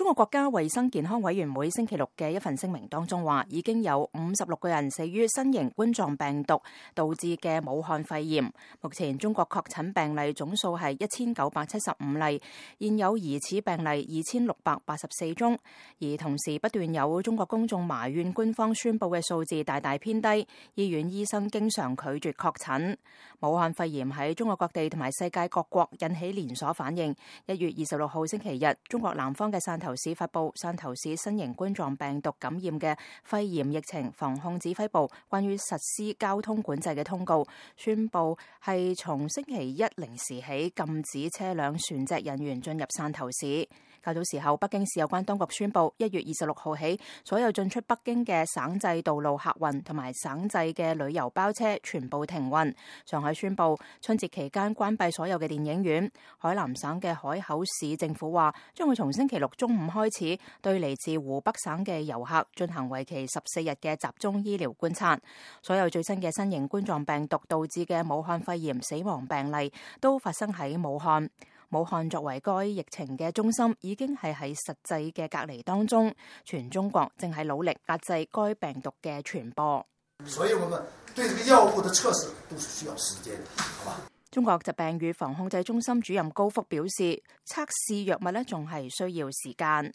中國國家衛生健康委員會星期六嘅一份聲明當中話，已經有56個人死於新型冠狀病毒導致嘅武漢肺炎。目前中國確診病例總數係1975例，現有疑似病例2684宗。而同時不斷有中國公眾埋怨官方宣布嘅數字大大偏低，醫院醫生經常拒絕確診。武漢肺炎喺中國各地同埋世界各國引起連鎖反應。1月26號星期日，中國南方嘅汕頭市發布汕頭市新型冠狀病毒感染嘅肺炎疫情防控指揮部關於實施交通管制嘅通告，宣布係從星期一零時起禁止車輛、船隻人員進入汕頭市。較早時候，北京市有關當局宣布1月26號起，所有進出北京嘅省際道路客運同埋省際嘅旅遊包車全部停運。上海宣布春節期間關閉所有嘅電影院。海南省嘅海口市政府話，將會從星期六中午開始，對嚟自湖北省嘅遊客進行為期14日嘅集中醫療觀察。所有最新嘅新型冠狀病毒導致嘅武漢肺炎死亡病例都發生喺武漢。武漢作為該疫情嘅中心，已經係喺實際嘅隔離當中。全中國正係努力壓制該病毒嘅傳播。所以我們對這個藥物的測試都是需要時間的，好吧？中國疾病預防控制中心主任高福表示，測試藥物仲係需要時間。